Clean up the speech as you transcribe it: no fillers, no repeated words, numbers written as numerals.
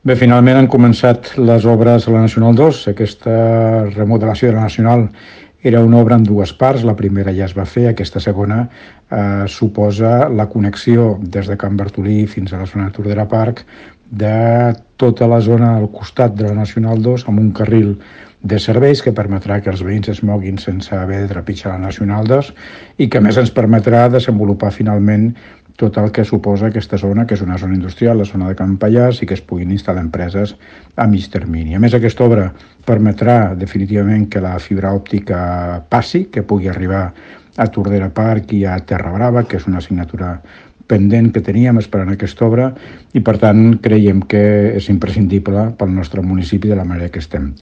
Bé, finalment han començat les obres a la Nacional 2. Aquesta remodelació de la Nacional era una obra en dues parts. La primera ja es va fer, aquesta segona suposa la connexió des de Can Bartolí fins a la zona de Tordera Park de tota la zona al costat de la Nacional 2 amb un carril de serveis que permetrà que els veïns es moguin sense haver de trepitjar la Nacional 2 i que a més ens permetrà desenvolupar finalment tot el que suposa aquesta zona, que és una zona industrial, la zona de Can Pallars, i que es puguin instal·lar empreses a mig termini. A més, aquesta obra permetrà definitivament que la fibra òptica passi, que pugui arribar a Tordera Park i a Terra Brava, que és una assignatura pendent que teníem esperant aquesta obra, i per tant creiem que és imprescindible pel nostre municipi de la manera que estem.